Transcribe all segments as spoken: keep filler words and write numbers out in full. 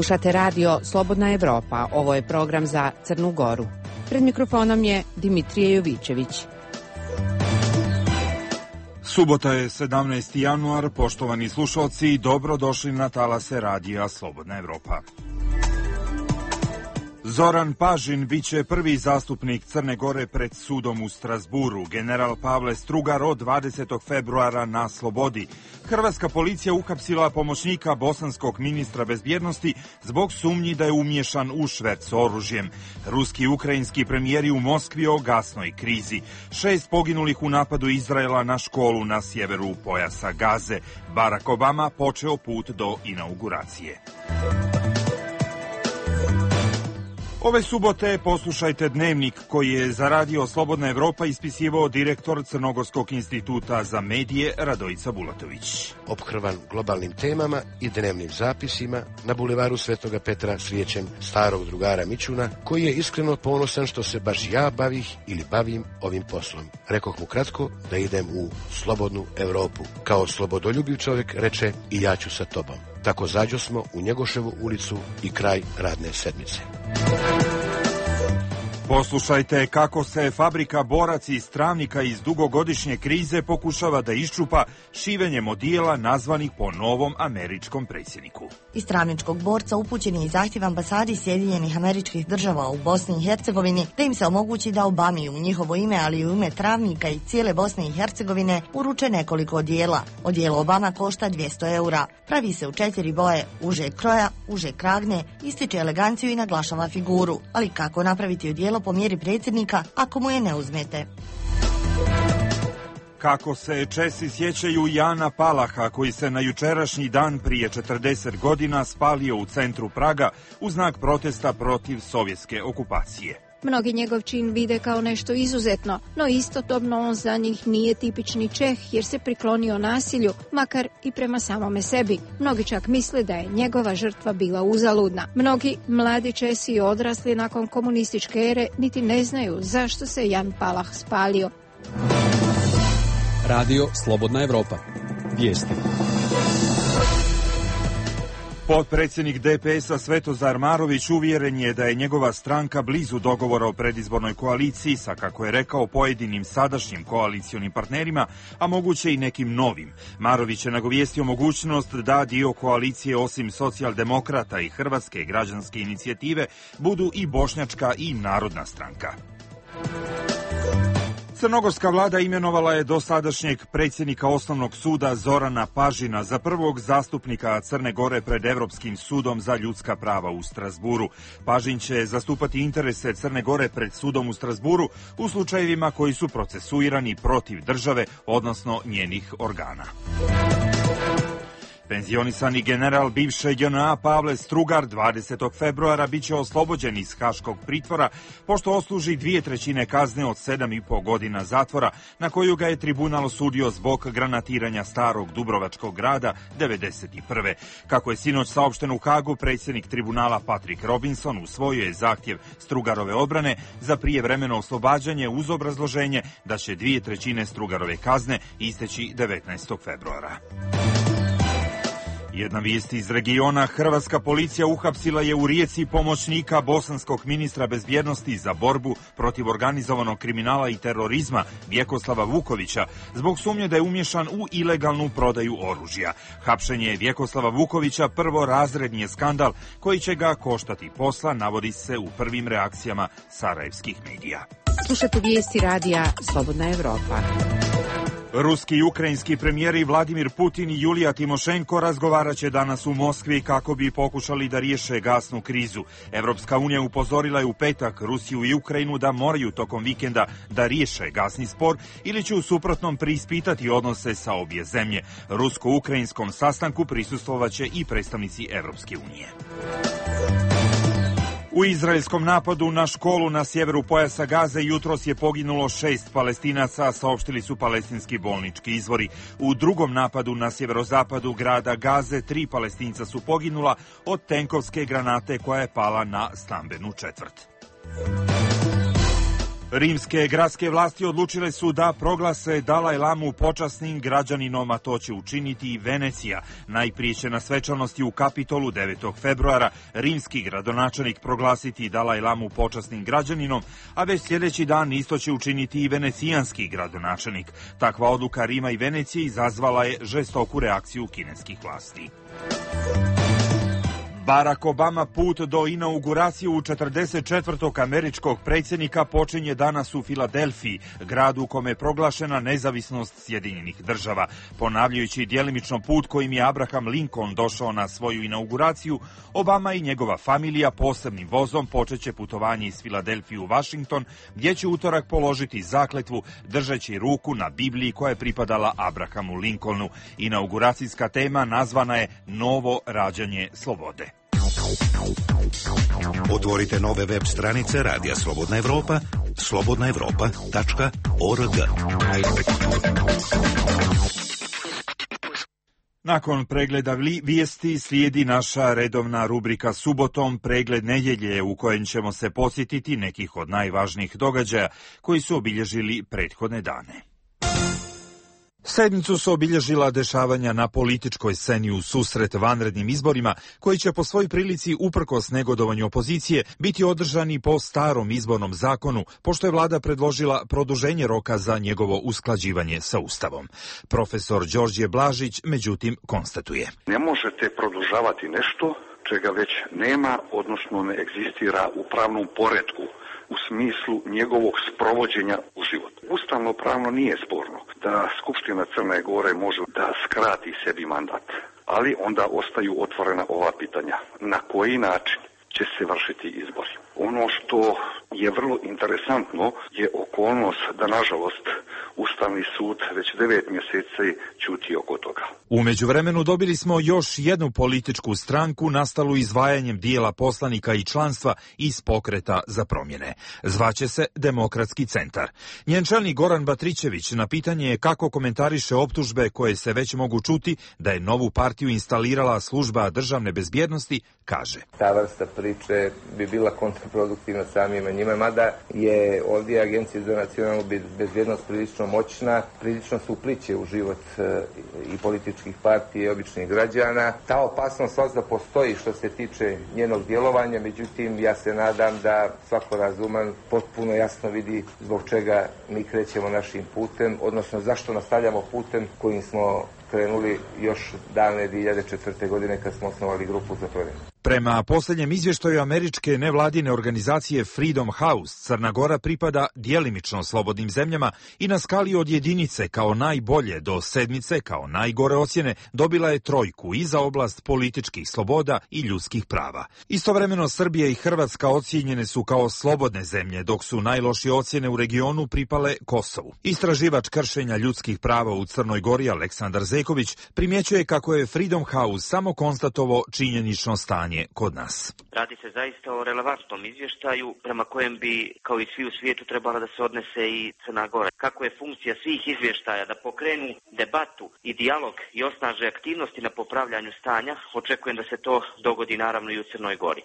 Slušate radio Slobodna Evropa. Ovo je program za Crnu Goru. Pred mikrofonom je Dimitrije Jovićević. Subota je sedamnaesti januar. Poštovani slušalci, dobrodošli na talase radija Slobodna Evropa. Zoran Pažin biće prvi zastupnik Crne Gore pred sudom u Strazburu. General Pavle Strugar od dvadesetog februara na slobodi. Hrvatska policija uhapsila pomoćnika bosanskog ministra bezbjednosti zbog sumnji da je umiješan u šverc oružjem. Ruski i ukrajinski premijeri u Moskvi o gasnoj krizi. Šest poginulih u napadu Izraela na školu na sjeveru pojasa Gaze. Barack Obama počeo put do inauguracije. Ove subote poslušajte dnevnik koji je za radio Slobodna Evropa ispisivao direktor Crnogorskog instituta za medije Radojica Bulatović. Ophrvan globalnim temama i dnevnim zapisima, na bulevaru Svetoga Petra srijećem starog drugara Mićuna, koji je iskreno ponosan što se baš ja bavih ili bavim ovim poslom. Rekoh mu kratko da idem u Slobodnu Evropu. Kao slobodoljubiv čovjek reče i ja ću sa tobom. Tako zađo smo u Njegoševu ulicu i kraj radne sedmice. Poslušajte kako se fabrika boraca iz Travnika iz dugogodišnje krize pokušava da iščupa šivenjem odijela nazvanih po novom američkom predsjedniku. Iz Travničkog borca upućen je i zahtjev ambasadi Sjedinjenih Američkih Država u Bosni i Hercegovini da im se omogući da Obami u njihovo ime, ali i u ime Travnika i cijele Bosne i Hercegovine uruče nekoliko odijela. Odijelo Obama košta dvjesto eura. Pravi se u četiri boje, užeg kroja, užeg kragne, ističe eleganciju i naglašava figuru. Ali kako napraviti odijelo po mjeri predsjednika ako mu je ne uzmete? Kako se Česi sjećaju Jana Palaha, koji se na jučerašnji dan prije četrdeset godina spalio u centru Praga u znak protesta protiv sovjetske okupacije. Mnogi njegov čin vide kao nešto izuzetno, no istodobno on za njih nije tipični Čeh jer se priklonio nasilju, makar i prema samome sebi. Mnogi čak misle da je njegova žrtva bila uzaludna. Mnogi mladi Česi odrasli nakon komunističke ere niti ne znaju zašto se Jan Palah spalio. Radio Slobodna Evropa. Vijesti. Potpredsjednik D P S-a Svetozar Marović uvjeren je da je njegova stranka blizu dogovora o predizbornoj koaliciji sa, kako je rekao, pojedinim sadašnjim koalicionim partnerima, a moguće i nekim novim. Marović je nagovijestio mogućnost da dio koalicije osim socijaldemokrata i Hrvatske građanske inicijative budu i Bošnjačka i Narodna stranka. Crnogorska vlada imenovala je dosadašnjeg predsjednika Osnovnog suda Zorana Pažina za prvog zastupnika Crne Gore pred Evropskim sudom za ljudska prava u Strazburu. Pažin će zastupati interese Crne Gore pred sudom u Strazburu u slučajevima koji su procesuirani protiv države, odnosno njenih organa. Penzionisani general bivše J N A Pavle Strugar dvadesetog februara biće oslobođen iz haškog pritvora pošto osluži dvije trećine kazne od sedam i po godina zatvora na koju ga je tribunal osudio zbog granatiranja starog Dubrovačkog grada devedeset prve. Kako je sinoć saopšteno u Hagu, predsjednik tribunala Patrick Robinson usvojio je zahtjev Strugarove odbrane za prijevremeno oslobađanje uz obrazloženje da će dvije trećine Strugarove kazne isteći devetnaestog februara. Jedna vijest iz regiona. Hrvatska policija uhapsila je u Rijeci pomoćnika bosanskog ministra bezbjednosti za borbu protiv organizovanog kriminala i terorizma Vjekoslava Vukovića zbog sumnje da je umiješan u ilegalnu prodaju oružja. Hapšenje Vjekoslava Vukovića prvorazredni je skandal koji će ga koštati posla, navodi se u prvim reakcijama sarajevskih medija. Slušate vijesti radija Slobodna Evropa. Ruski i ukrajinski premijeri Vladimir Putin i Julija Timošenko razgovarat će danas u Moskvi kako bi pokušali da riješe gasnu krizu. Evropska unija upozorila je u petak Rusiju i Ukrajinu da moraju tokom vikenda da riješe gasni spor ili će u suprotnom preispitati odnose sa obje zemlje. Rusko-ukrajinskom sastanku prisustvovaće i predstavnici Evropske unije. U izraelskom napadu na školu na sjeveru pojasa Gaze jutros je poginulo šest Palestinaca, saopštili su palestinski bolnički izvori. U drugom napadu na sjeverozapadu grada Gaze tri Palestinca su poginula od tenkovske granate koja je pala na stambenu četvrt. Rimske gradske vlasti odlučile su da proglase Dalaj Lamu počasnim građaninom, a to će učiniti i Venecija. Najprije će na svečanosti u Kapitolu devetog februara rimski gradonačelnik proglasiti Dalaj Lamu počasnim građaninom, a već sljedeći dan isto će učiniti i venecijanski gradonačelnik. Takva odluka Rima i Venecije izazvala je žestoku reakciju kineskih vlasti. Barack Obama put do inauguracije u četrdeset četvrtog američkog predsjednika počinje danas u Filadelfiji, gradu u kome je proglašena nezavisnost Sjedinjenih država. Ponavljajući djelimično put kojim je Abraham Lincoln došao na svoju inauguraciju, Obama i njegova familija posebnim vozom počeće putovanje iz Filadelfije u Washington, gdje će utorak položiti zakletvu držeći ruku na Bibliji koja je pripadala Abrahamu Lincolnu. Inauguracijska tema nazvana je Novo rađanje slobode. Otvorite nove web stranice Radija Slobodna Evropa, slobodna evropa tačka org. Nakon pregleda vijesti slijedi naša redovna rubrika Subotom, pregled nedjelje, u kojem ćemo se podsjetiti nekih od najvažnijih događaja koji su obilježili prethodne dane. Sedmicu su obilježila dešavanja na političkoj sceni u susret vanrednim izborima, koji će po svoj prilici uprkos negodovanju opozicije biti održani po starom izbornom zakonu, pošto je vlada predložila produženje roka za njegovo usklađivanje sa Ustavom. Profesor Đorđe Blažić međutim konstatuje: Ne možete produžavati nešto čega već nema, odnosno ne egzistira u pravnom poretku u smislu njegovog sprovođenja u život. Ustavno pravno nije sporno da Skupština Crne Gore može da skrati sebi mandat, ali onda ostaju otvorena ova pitanja. Na koji način će se vršiti izbori? Ono što je vrlo interesantno je okolnost da, nažalost, Ustavni sud već devet mjeseci ćuti oko toga. U međuvremenu dobili smo još jednu političku stranku nastalu izdvajanjem dijela poslanika i članstva iz Pokreta za promjene. Zvaće se Demokratski centar. Njen čelnik Goran Batrićević na pitanje je kako komentariše optužbe koje se već mogu čuti da je novu partiju instalirala služba državne bezbjednosti, kaže: Ta vrsta priče bi bila kontraproduktivna samima njima, mada je ovdje Agencija za nacionalnu bezbjednost prilično moćna, prilično se upliće u život e, i političkih partija i običnih građana. Ta opasnost svakako postoji što se tiče njenog djelovanja, međutim ja se nadam da svako razuman potpuno jasno vidi zbog čega mi krećemo našim putem, odnosno zašto nastavljamo putem kojim smo krenuli još davne dvije hiljade četvrte. godine kad smo osnovali grupu za promjenu. Prema posljednjem izvještaju američke nevladine organizacije Freedom House, Crna Gora pripada djelimično slobodnim zemljama i na skali od jedinice kao najbolje do sedmice kao najgore ocjene dobila je trojku i za oblast političkih sloboda i ljudskih prava. Istovremeno Srbija i Hrvatska ocijenjene su kao slobodne zemlje, dok su najlošije ocjene u regionu pripale Kosovu. Istraživač kršenja ljudskih prava u Crnoj Gori Aleksandar Zeković primjećuje kako je Freedom House samo konstatovao činjenično stanje kod nas. Radi se zaista o relevantnom izvještaju prema kojem bi, kao i svi u svijetu, trebala da se odnese i Crna Gora. Kako je funkcija svih izvještaja da pokrenu debatu i dijalog i osnaže aktivnosti na popravljanju stanja, očekujem da se to dogodi naravno i u Crnoj Gori.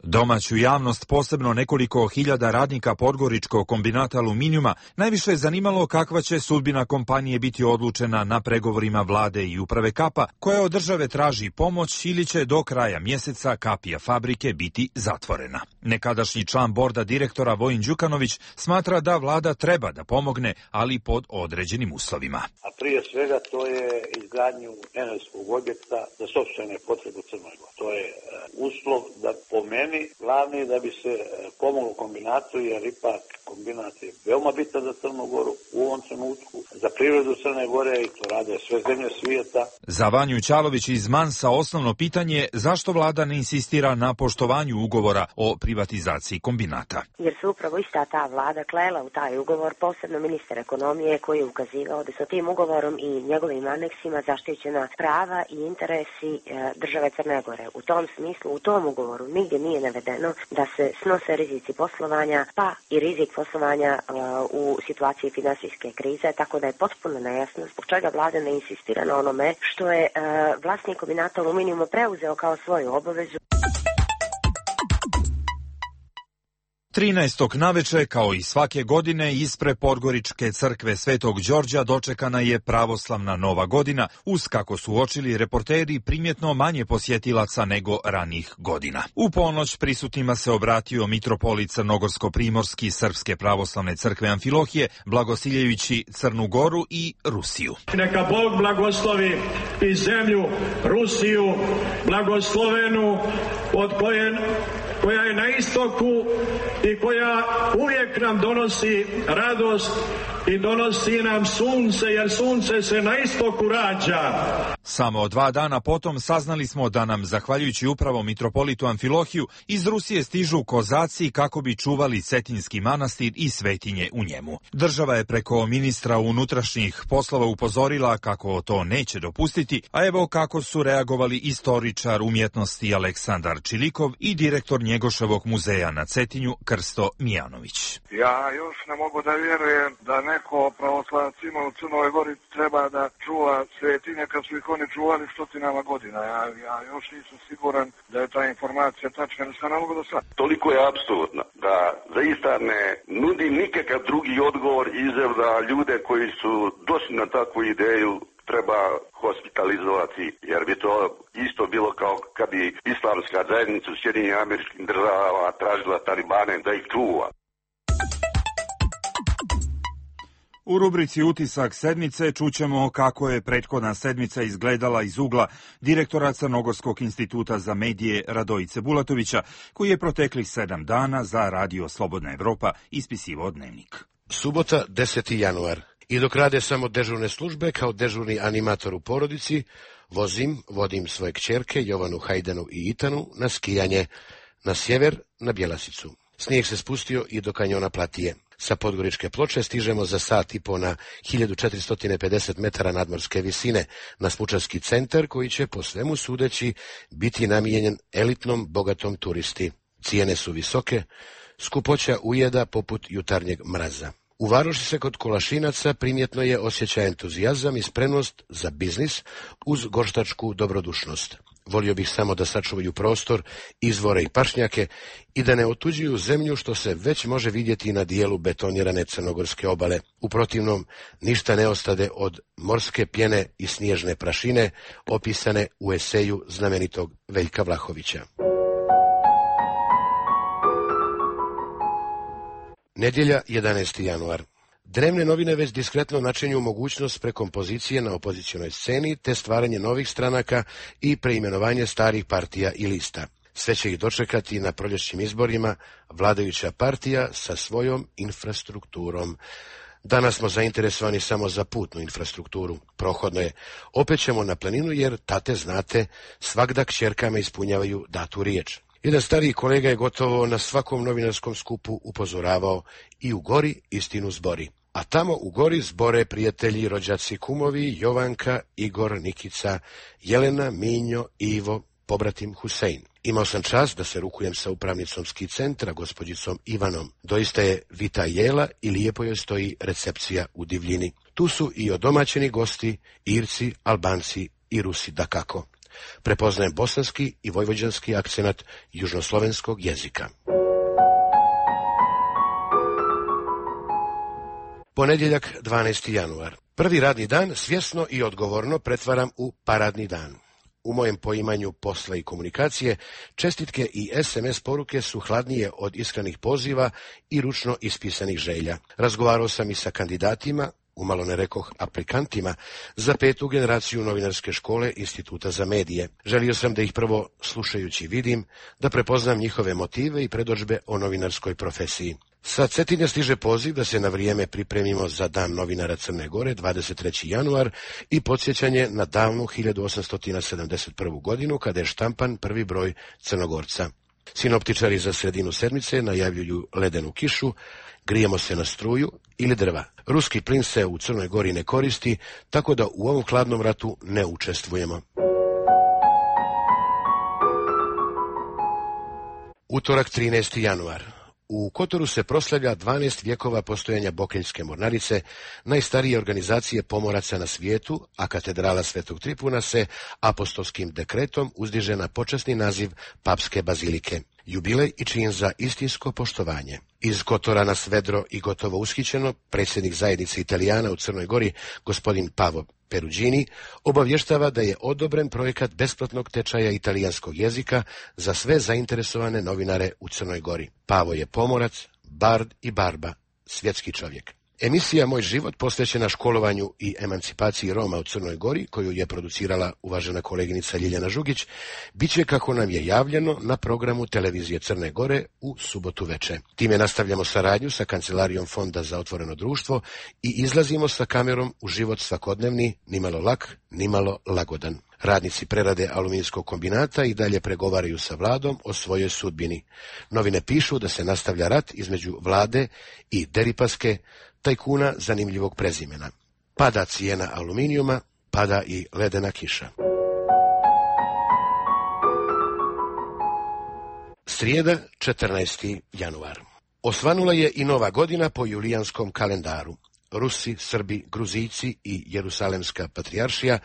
Domaću javnost, posebno nekoliko hiljada radnika Podgoričkog kombinata aluminijuma, najviše je zanimalo kakva će sudbina kompanije biti odlučena na pregovorima vlade i uprave Kapa, koja od države traži pomoć ili će do kraja mjeseca kapija fabrike biti zatvorena. Nekadašnji član borda direktora Vojin Đukanović smatra da vlada treba da pomogne, ali pod određenim uslovima. A prije svega to je izgradnju energetskog objekta za sopstvene potrebe u Crnoj Gori. To je uslov da po meni glavni da bi se pomoglo kombinatu, jer ipak kombinat je veoma bitan za Crnu Goru u ovom trenutku, za prirodu Crne Gore, i to rade sve zemlje svijeta. Za Vanju Ćalović iz Mansa osnovno pitanje je zašto vlada ne insistira na poštovanju ugovora o privatizaciji kombinata. Jer su upravo ista ta vlada klela u taj ugovor, posebno ministar ekonomije koji je ukazivao da su tim ugovorom i njegovim aneksima zaštićena prava i interesi države Crne Gore. U tom smislu, u tom ugovoru nigdje nije navedeno da se snose rizici poslovanja, pa i rizik poslovanja uh, u situaciji finansijske krize, tako da je potpuno nejasno zbog čega vlada ne insistira na onome što je uh, vlasnik kombinata aluminijuma preuzeo kao svoju obavezu. trinaestog naveče, kao i svake godine, ispred Podgoričke crkve Svetog Đorđa dočekana je pravoslavna Nova godina, uz, kako su uočili reporteri, primjetno manje posjetilaca nego ranih godina. U ponoć prisutnima se obratio mitropolit Crnogorsko-primorski Srpske pravoslavne crkve Amfilohije, blagosiljajući Crnu Goru i Rusiju. Neka Bog blagoslovi i zemlju Rusiju, blagoslovenu, od koje koja je na istoku i koja uvijek nam donosi radost i donosi nam sunce, jer sunce se na istoku rađa. Samo dva dana potom saznali smo da nam, zahvaljujući upravo mitropolitu Amfilohiju, iz Rusije stižu kozaci kako bi čuvali Cetinski manastir i svetinje u njemu. Država je preko ministra unutrašnjih poslova upozorila kako to neće dopustiti, a evo kako su reagovali istoričar umjetnosti Aleksandar Čilikov i direktor Njegoševog muzeja na Cetinju Krsto Mijanović. Ja još ne mogu da vjerujem da neko pravoslavac ima u Crnoj Gori treba da čuva svetinje kad su ih oni čuvali stotinama godina. Ja, ja još nisam siguran da je ta informacija tačna, ne sam ne mogu da sad. Toliko je apsolutno da zaista ne nudi nikakav drugi odgovor izav da ljude koji su došli na takvu ideju treba hospitalizovati, jer bi to isto bilo kao kad bi islamska zajednica u Sjedinjenim Američkim Državama tražila Talibane da ih čuva. U rubrici Utisak sedmice čućemo kako je prethodna sedmica izgledala iz ugla direktora Crnogorskog instituta za medije Radojice Bulatovića, koji je proteklih sedam dana za Radio Slobodna Evropa ispisivao dnevnik. Subota, deseti januar. I dok rade samo dežurne službe, kao dežurni animator u porodici, vozim, vodim svoje kćerke Jovanu, Hajdanu i Itanu na skijanje, na sjever, na Bjelasicu. Snijeg se spustio i do kanjona Platije. Sa Podgoričke ploče stižemo za sat i po na hiljadu četiristo pedeset metara nadmorske visine na Smučarski centar, koji će po svemu sudeći biti namijenjen elitnom, bogatom turisti. Cijene su visoke, skupoća ujeda poput jutarnjeg mraza. U Varoši se kod Kolašinaca primjetno je osjećaj entuzijazam i spremnost za biznis uz goštačku dobrodušnost. Volio bih samo da sačuvaju prostor, izvore i pašnjake i da ne otuđuju zemlju, što se već može vidjeti na dijelu betonirane crnogorske obale. U protivnom, ništa ne ostade od morske pjene i snježne prašine, opisane u eseju znamenitog Veljka Vlahovića. Nedjelja, jedanaesti januar. Dnevne novine već diskretno načinju mogućnost prekompozicije na opozicionoj sceni, te stvaranje novih stranaka i preimenovanje starih partija i lista. Sve će ih dočekati na proljećnim izborima vladajuća partija sa svojom infrastrukturom. Danas smo zainteresovani samo za putnu infrastrukturu. Prohodno je. Opet ćemo na planinu jer, tate znate, svagda kćerkama ispunjavaju datu riječ. Jedan stariji kolega je gotovo na svakom novinarskom skupu upozoravao: i u gori istinu zbori. A tamo u gori zbore prijatelji, rođaci, kumovi, Jovanka, Igor, Nikica, Jelena, Minjo, Ivo, pobratim Husein. Imao sam čast da se rukujem sa upravnicom ski centra, gospođicom Ivanom. Doista je vita jela i lijepo joj stoji recepcija u divljini. Tu su i odomaćeni gosti, Irci, Albanci i Rusi dakako. Prepoznajem bosanski i vojvođanski akcenat južnoslovenskog jezika. Ponedjeljak, dvanaesti januar. Prvi radni dan svjesno i odgovorno pretvaram u paradni dan. U mojem poimanju posla i komunikacije, čestitke i es em es poruke su hladnije od iskrenih poziva i ručno ispisanih želja. Razgovarao sam i sa kandidatima, umalo ne rekoh aplikantima, za petu generaciju novinarske škole Instituta za medije. Želio sam da ih prvo slušajući vidim, da prepoznam njihove motive i predodžbe o novinarskoj profesiji. Sa Cetinja stiže poziv da se na vrijeme pripremimo za Dan novinara Crne Gore, dvadeset treći januar, i podsjećanje na davnu hiljadu osamsto sedamdeset prvu godinu, kada je štampan prvi broj Crnogorca. Sinoptičari za sredinu sedmice najavljuju ledenu kišu, grijemo se na struju ili drva. Ruski plin se u Crnoj Gori ne koristi, tako da u ovom hladnom ratu ne učestvujemo. Utorak, trinaesti januar. U Kotoru se proslavlja dvanaest vjekova postojanja Bokeljske mornarice, najstarije organizacije pomoraca na svijetu, a katedrala Svetog Tripuna se apostolskim dekretom uzdiže na počasni naziv papske bazilike. jubilej i čin za istinsko poštovanje. Iz Kotora na Svedro i gotovo ushićeno, predsjednik zajednice Italijana u Crnoj Gori, gospodin Pavo Perugini, obavještava da je odobren projekat besplatnog tečaja italijanskog jezika za sve zainteresovane novinare u Crnoj Gori. Pavo je pomorac, bard i barba, svjetski čovjek. Emisija Moj život, posvećena školovanju i emancipaciji Roma u Crnoj Gori, koju je producirala uvažena koleginica Ljiljana Žugić, bit će, kako nam je javljeno, na programu televizije Crne Gore u subotu veče. Time nastavljamo saradnju sa Kancelarijom Fonda za otvoreno društvo i izlazimo sa kamerom u život svakodnevni, nimalo lak, nimalo lagodan. Radnici prerade aluminijskog kombinata i dalje pregovaraju sa vladom o svojoj sudbini. Novine pišu da se nastavlja rat između vlade i Deripaske, tajkuna zanimljivog prezimena. Pada cijena aluminijuma, pada i ledena kiša. Srijeda, četrnaesti januar. Osvanula je i nova godina po julijanskom kalendaru. Rusi, Srbi, Gruzijci i Jerusalemska patrijaršija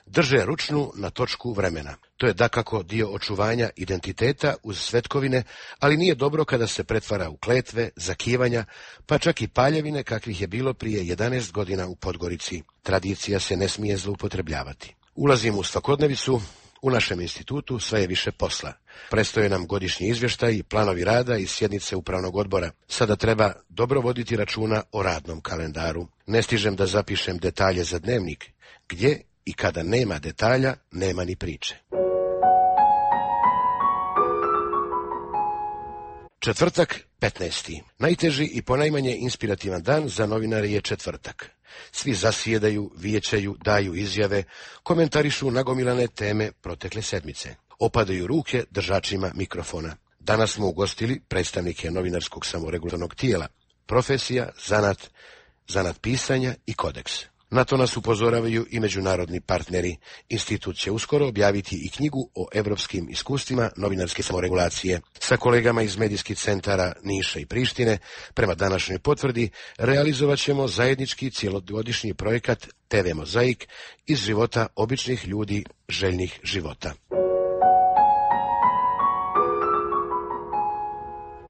drže ručnu na točku vremena. To je dakako dio očuvanja identiteta uz svetkovine, ali nije dobro kada se pretvara u kletve, zakivanja, pa čak i paljevine kakvih je bilo prije jedanaest godina u Podgorici. Tradicija se ne smije zloupotrebljavati. Ulazimo u svakodnevicu. U našem institutu sve je više posla. Prestoje nam godišnji izvještaj i planovi rada i sjednice upravnog odbora. Sada treba dobro voditi računa o radnom kalendaru. Ne stižem da zapišem detalje za dnevnik, gdje i kada nema detalja, nema ni priče. Četvrtak, petnaesti. Najteži i ponajmanje inspirativan dan za novinare je četvrtak. Svi zasjedaju, vijećaju, daju izjave, komentarišu nagomilane teme protekle sedmice. Opadaju ruke držačima mikrofona. Danas smo ugostili predstavnike novinarskog samoregulatornog tijela, profesija, zanat, zanat pisanja i kodeks. Na to nas upozoravaju i međunarodni partneri. Institut će uskoro objaviti i knjigu o evropskim iskustvima novinarske samoregulacije. Sa kolegama iz medijskih centara Niša i Prištine, prema današnjoj potvrdi, realizovat ćemo zajednički cjelogodišnji projekat te ve Mozaik iz života običnih ljudi željnih života.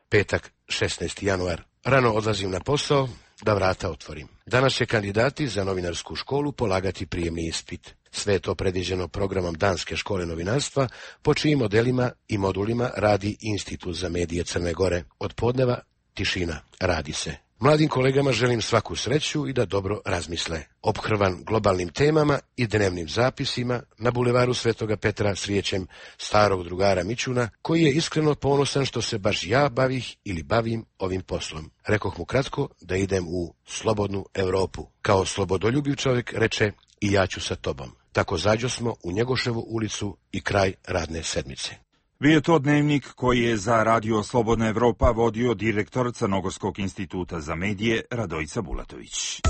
Petak, šesnaesti januar. Rano odlazim na posao da vrata otvorim. Danas će kandidati za novinarsku školu polagati prijemni ispit. Sve je to predviđeno programom Danske škole novinarstva, po čijim modelima i modulima radi Institut za medije Crne Gore. Od podneva tišina, radi se. Mladim kolegama želim svaku sreću i da dobro razmisle. Ophrvan globalnim temama i dnevnim zapisima, na bulevaru Svetoga Petra srijećem starog drugara Mićuna, koji je iskreno ponosan što se baš ja bavih ili bavim ovim poslom. Rekoh mu kratko da idem u slobodnu Europu. Kao slobodoljubiv čovjek reče, i ja ću sa tobom. Tako zađo smo u Njegoševu ulicu i kraj radne sedmice. Bio je to dnevnik koji je za Radio Slobodna Evropa vodio direktor Crnogorskog instituta za medije Radojica Bulatović.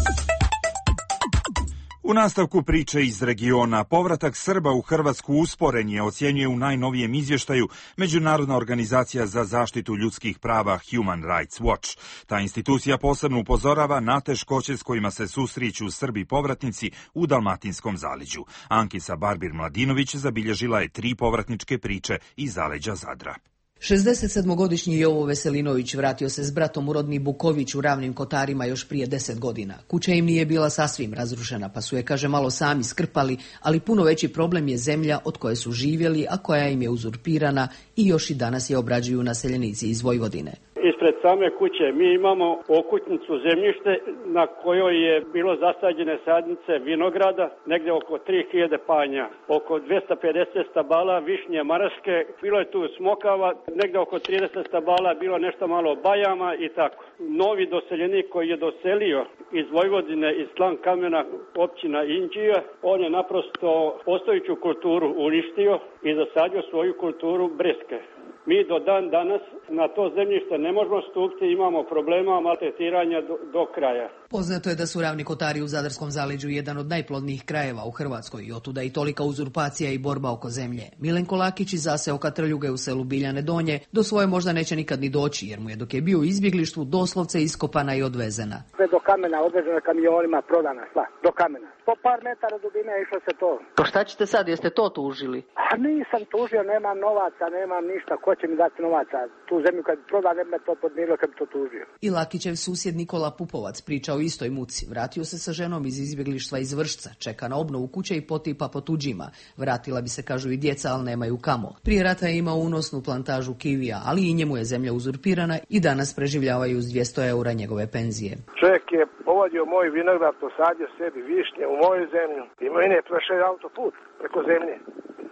U nastavku priče iz regiona, povratak Srba u Hrvatsku usporen je, ocjenjuje u najnovijem izvještaju Međunarodna organizacija za zaštitu ljudskih prava Human Rights Watch. Ta institucija posebno upozorava na teškoće s kojima se susreću Srbi povratnici u Dalmatinskom zaleđu. Ankisa Barbir-Mladinović zabilježila je tri povratničke priče iz zaleđa Zadra. šezdesetsedmogodišnji Jovo Veselinović vratio se s bratom u rodni Buković u Ravnim Kotarima još prije deset godina. Kuća im nije bila sasvim razrušena, pa su je, kaže, malo sami skrpali, ali puno veći problem je zemlja od koje su živjeli, a koja im je uzurpirana i još i danas je obrađuju naseljenici iz Vojvodine. Ispred same kuće mi imamo okutnicu zemljište na kojoj je bilo zasađene sadnice vinograda, negdje oko tri hiljade panja, oko dvjesto pedeset stabala višnje maraške, bilo je tu smokava, negdje oko trideset stabala, bilo nešto malo bajama i tako. Novi doseljenik koji je doselio iz Vojvodine, iz Slan Kamena, općina Inđija, on je naprosto postojeću kulturu uništio i zasadio svoju kulturu breske. Mi do dan danas na to zemljište ne možemo stupiti, imamo problema maltretiranja do, do kraja. Poznato je da su Ravni Kotari u Zadarskom zaleđu jedan od najplodnijih krajeva u Hrvatskoj i otuda i tolika uzurpacija i borba oko zemlje. Milenko Lakić iz zaseoka Trljuge u selu Biljane Donje do svoje možda neće nikad ni doći, jer mu je dok je bio u izbjeglištvu doslovce iskopana i odvezena. Sve do kamena, odvezena kamionima, prodana sva, do kamena. Po par metara dubine išlo se to. Pa šta ćete sad, jeste to tužili? A nisam tužio, nemam novaca, nemam ništa. Ko ko će mi dati novaca? Tu zemlju kad proda, ne bi me to podmirilo kad bi to tužio. I Lakićev susjed Nikola Pupovac priča o istoj muci. Vratio se sa ženom iz izbjeglištva iz Vršca, čeka na obnovu kuće i potipa po tuđima. Vratila bi se, kažu, i djeca, ali nemaju kamo. Prije rata je imao unosnu plantažu kivija, ali i njemu je zemlja uzurpirana i danas preživljavaju uz dvjesto eura njegove penzije. Čovjek je povodio moj vinograd, posadio sebi višnje u moju zemlju i meni je prešao autoput preko zemlje.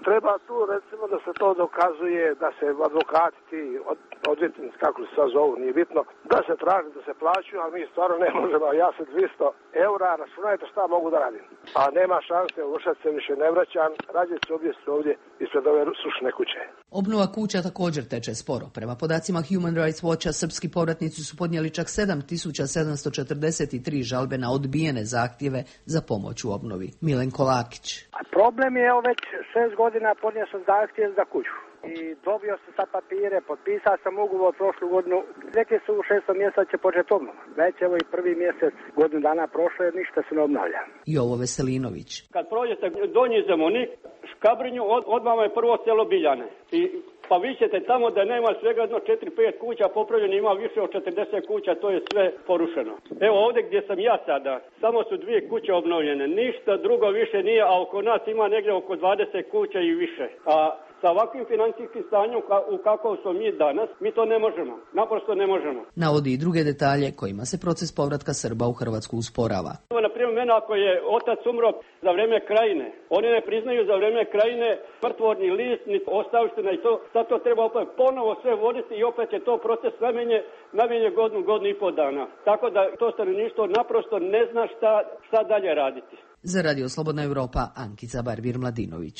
Treba tu, recimo, da se to dokazuje, da se advokati, ti od, odvjetnici, kako se sad zovu, nije bitno, da se traži, da se plaćaju, a mi stvarno ne možemo. Ja se dvjesto eura, računajte šta mogu da radim. A nema šanse, Vršac se više ne vraćam, rađe se objesti ovdje ispred ove sušne kuće. Obnova kuća također teče sporo. Prema podacima Human Rights Watcha, srpski povratnici su podnijeli čak sedam tisuća sedamsto četrdeset tri žalbe na odbijene zahtjeve za pomoć u obnovi. Milenko Lakić. A problem je, evo, već šest godina podnio sam zahtjev za kuću. I dobio sam sa papire, potpisao sam ugovor prošlu godinu. Rekli su u šestom mjesecu će početi obnova. Već evo i prvi mjesec, godinu dana prošlo, jer ništa se ne obnavlja. Jovo Veselinović. Kad prođete Donji Zemunik, Škabrinju, od, odmah je prvo selo Biljane. I pa vi ćete tamo da nema svega jedno četiri pet kuća popravljeno, ima više od četrdeset kuća, to je sve porušeno. Evo ovdje gdje sam ja sada, samo su dvije kuće obnovljene, ništa drugo više nije, a oko nas ima negdje oko dvadeset kuća i više. A sa ovakvim financijskim stanjem u kakvom smo mi danas, mi to ne možemo, naprosto ne možemo. Navodi i druge detalje kojima se proces povratka Srba u Hrvatsku usporava. Na primjer, mene ako je otac umro za vrijeme Krajine, oni ne priznaju za vrijeme Krajine mrtvorni list, ni ostavština i to, sad to treba opet ponovo sve voditi i opet je to proces najmanje, najmanje godinu, godinu i pol dana. Tako da to stanovništvo naprosto ne zna šta, šta dalje raditi. Za Radio Slobodna Evropa, Ankica Barbir-Mladinović.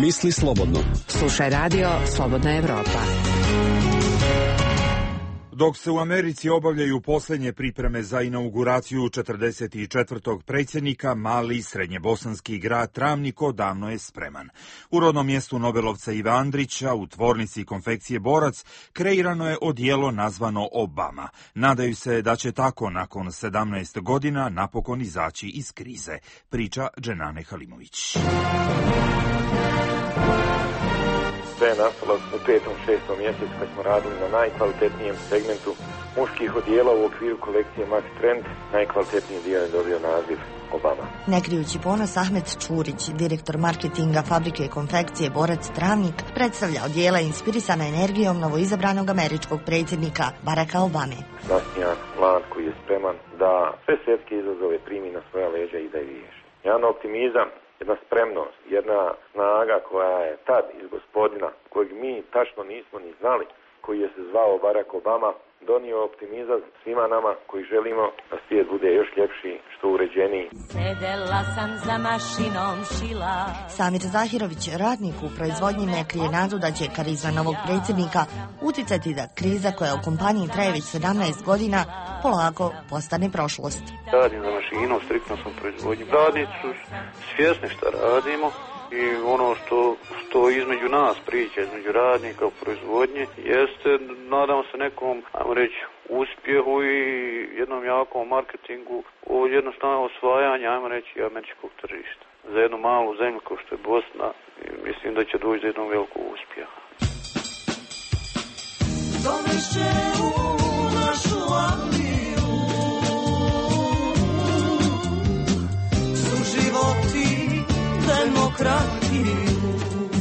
Misli slobodno. Slušaj Radio Slobodna Evropa. Dok se u Americi obavljaju posljednje pripreme za inauguraciju četrdeset četvrtog predsjednika, mali srednjebosanski grad Travnik davno je spreman. U rodnom mjestu Nobelovca Ive Andrića, u tvornici konfekcije Borac, kreirano je odijelo nazvano Obama. Nadaju se da će tako nakon sedamnaest godina napokon izaći iz krize, priča Dženane Halimović. Sve je nastalo u petom, šestom mjesecu kad smo radili na najkvalitetnijem segmentu muških odijela u okviru kolekcije Max Trend. Najkvalitetniji dio je dobio naziv Obama. Ne krijući ponos, Ahmet Čurić, direktor marketinga fabrike konfekcije Borac Travnik, predstavlja odijela inspirisana energijom novoizabranog američkog predsjednika Baracka Obame. Nasmijan plan koji je spreman da sve svjetske izazove primi na svoja leđa i da je riješi. Jedan optimizam, jedna spremnost, jedna snaga koja je tad iz gospodina, kojeg mi tačno nismo ni znali, koji je se zvao Barack Obama, donio optimizam svima nama koji želimo da svijet bude još ljepši, što uređeniji. Sedela sam za mašinom šila. Samir Zahirović, radnik u proizvodnji, ne krije nadu da će karizma novog predsjednika uticati da kriza koja u kompaniji traje već sedamnaest godina polako postane prošlost. Radim za mašinom, striktno sam proizvodnji. Radnici su svjesni šta radimo i ono što, što između nas priča, između radnika u proizvodnji, jeste, nadamo se nekom, ajmo reći, uspjehu i jednom jakom marketingu o jednostavno osvajanje, ajmo reći, američkog tržišta. Za jednu malu zemlju kao što je Bosna, mislim da će doći do jednog velikog uspjeha. Donešće u našu Angliju suživoti demokratiju.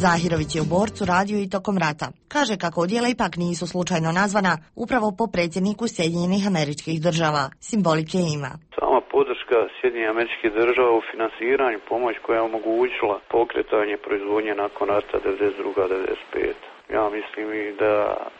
Zahirović je u Borcu radio i tokom rata. Kaže kako odijela ipak nisu slučajno nazvana upravo po predsjedniku Sjedinjenih Američkih Država. Simbolike ima. Sama podrška Sjedinjenih Američkih Država u finansiranju, pomoć koja je omogućila pokretanje proizvodnje nakon rata devedeset druga devedeset peta Ja mislim i da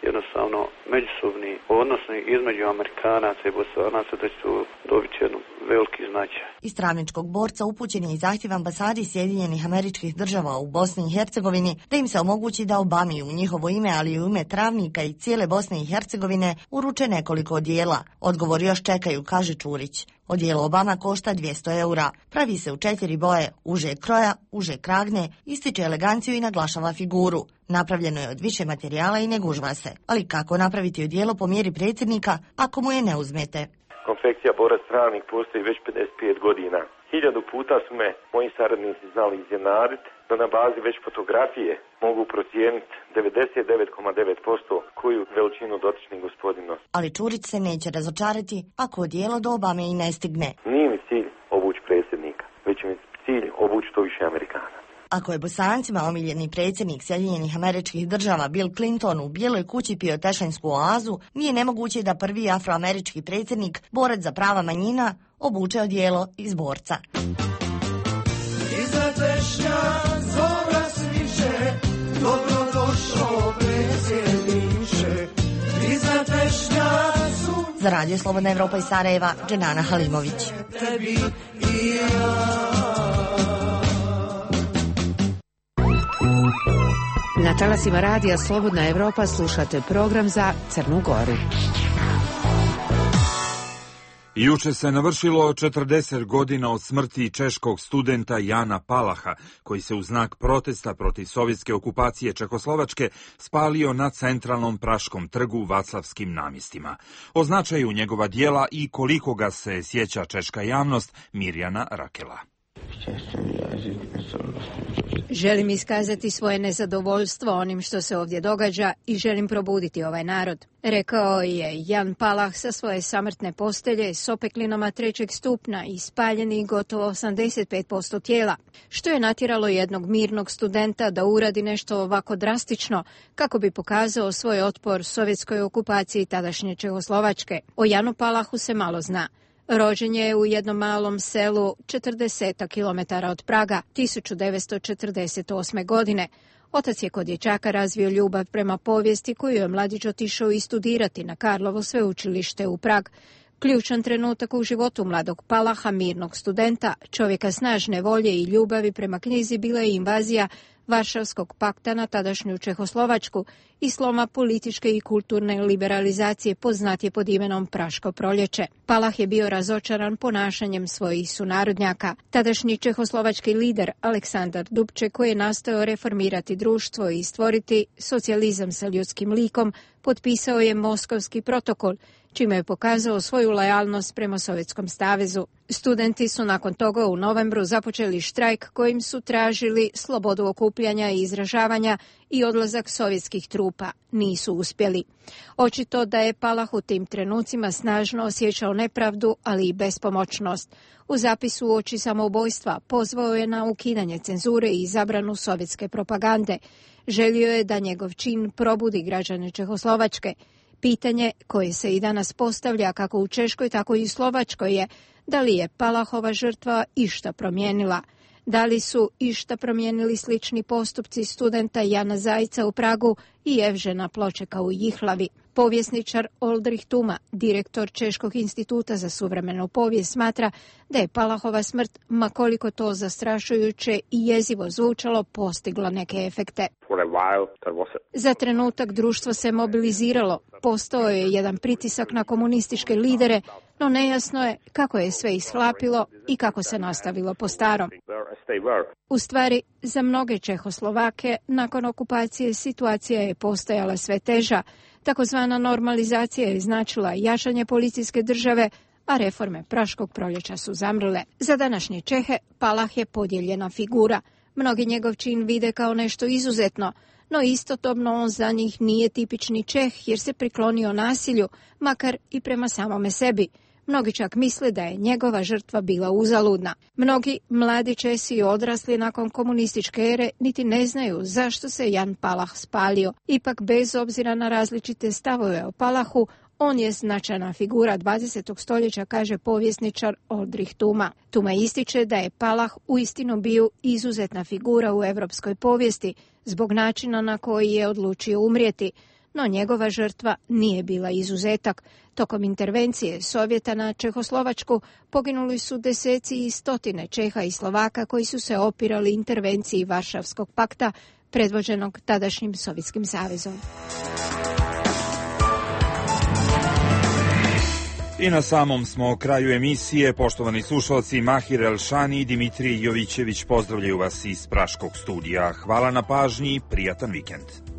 jednostavno međusobni odnosi između Amerikanaca i Bosanaca da će dobiti jednu veliki značaj. Iz Travničkog Borca upućen je i zahtjev ambasadi Sjedinjenih Američkih Država u Bosni i Hercegovini da im se omogući da Obami u njihovo ime, ali i u ime Travnika i cijele Bosne i Hercegovine uruče nekoliko odijela. Odgovor još čekaju, kaže Čurić. Odijelo Obama košta dvjesto eura. Pravi se u četiri boje, užeg kroja, užeg kragne, ističe eleganciju i naglašava figuru. Napravljeno je od više materijala i ne gužva se. Ali kako napraviti odijelo po mjeri predsjednika ako mu je ne uzmete? Konfekcija Borac Travnik postoji već pedeset pet godina. Hiljadu puta su me moji saradnici znali iznenaditi da na bazi već fotografije mogu procijeniti devedeset devet zarez devet posto koju veličinu dotični gospodin nosi. Ali Čurić se neće razočarati ako odijelo do Obame i ne stigne. Nije mi cilj obući predsjednika, već mi cilj obući to više Amerikana. Ako je Bosancima omiljeni predsjednik Sjedinjenih Američkih Država Bill Clinton u Bijeloj kući pio tešanjsku oazu, nije nemoguće da prvi afroamerički predsjednik, borac za prava manjina, obuče odijelo iz borca. Iza tešnja zora sviće, dobrodošao predsjedniče. Iza tešnja sunce. Za Radio Slobodna Evropa iz Sarajeva, Dženana Halimović. Tebi i ja. Na talasima Radija Slobodna Evropa slušate program za Crnu Goru. Juče se navršilo četrdeset godina od smrti češkog studenta Jana Palaha, koji se u znak protesta protiv sovjetske okupacije Čehoslovačke spalio na centralnom Praškom trgu Vaclavskim namjestima. O značaju njegova dijela i koliko ga se sjeća češka javnost, Mirjana Rakela. Želim iskazati svoje nezadovoljstvo onim što se ovdje događa i želim probuditi ovaj narod, rekao je Jan Palah sa svoje samrtne postelje s opeklinama trećeg stupna i spaljeni gotovo osamdeset pet posto tijela, što je natjeralo jednog mirnog studenta da uradi nešto ovako drastično kako bi pokazao svoj otpor sovjetskoj okupaciji tadašnje Čehoslovačke. O Janu Palahu se malo zna. Rođen je u jednom malom selu četrdeset kilometara od Praga tisuću devetsto četrdeset osme. godine. Otac je kod dječaka razvio ljubav prema povijesti koju je mladić otišao i studirati na Karlovo sveučilište u Prag. Ključan trenutak u životu mladog Palaha, mirnog studenta, čovjeka snažne volje i ljubavi prema knjizi, bila je invazija Varšavskog pakta na tadašnju Čehoslovačku i sloma političke i kulturne liberalizacije poznatije pod imenom Praško proljeće. Palah je bio razočaran ponašanjem svojih sunarodnjaka. Tadašnji čehoslovački lider Aleksandar Dubček, koji je nastojao reformirati društvo i stvoriti socijalizam sa ljudskim likom, potpisao je Moskovski protokol, čime je pokazao svoju lojalnost prema Sovjetskom savezu. Studenti su nakon toga u novembru započeli štrajk kojim su tražili slobodu okupljanja i izražavanja i odlazak sovjetskih trupa. Nisu uspjeli. Očito da je Palah u tim trenucima snažno osjećao nepravdu, ali i bespomoćnost. U zapisu uoči samoubojstva pozvao je na ukidanje cenzure i zabranu sovjetske propagande. Želio je da njegov čin probudi građane Čehoslovačke. Pitanje koje se i danas postavlja kako u Češkoj, tako i u Slovačkoj je da li je Palahova žrtva išta promijenila. Da li su išta promijenili slični postupci studenta Jana Zajca u Pragu i Evžena Pločeka u Jihlavi. Povjesničar Oldrich Tuma, direktor Češkog instituta za suvremenu povijest, smatra da je Palahova smrt, ma koliko to zastrašujuće i jezivo zvučalo, postigla neke efekte. Za trenutak društvo se mobiliziralo, postao je jedan pritisak na komunističke lidere, no nejasno je kako je sve ishlapilo i kako se nastavilo po starom. U stvari, za mnoge Čehoslovake nakon okupacije situacija je postajala sve teža. Takozvana normalizacija je značila jačanje policijske države, a reforme Praškog proljeća su zamrle. Za današnje Čehe Palah je podijeljena figura. Mnogi njegov čin vide kao nešto izuzetno, no istodobno on za njih nije tipični Čeh jer se priklonio nasilju, makar i prema samome sebi. Mnogi čak misle da je njegova žrtva bila uzaludna. Mnogi mladi Česi odrasli nakon komunističke ere niti ne znaju zašto se Jan Palah spalio. Ipak, bez obzira na različite stavove o Palahu, on je značajna figura dvadesetog stoljeća, kaže povjesničar Oldrich Tuma. Tuma ističe da je Palah uistinu bio izuzetna figura u europskoj povijesti zbog načina na koji je odlučio umrijeti. No njegova žrtva nije bila izuzetak. Tokom intervencije Sovjeta na Čehoslovačku poginuli su deseci i stotine Čeha i Slovaka koji su se opirali intervenciji Varšavskog pakta predvođenog tadašnjim Sovjetskim savezom. I na samom smo kraju emisije. Poštovani slušalci, Mahir Elšani i Dimitrij Jovićević pozdravljaju vas iz Praškog studija. Hvala na pažnji, prijatan vikend.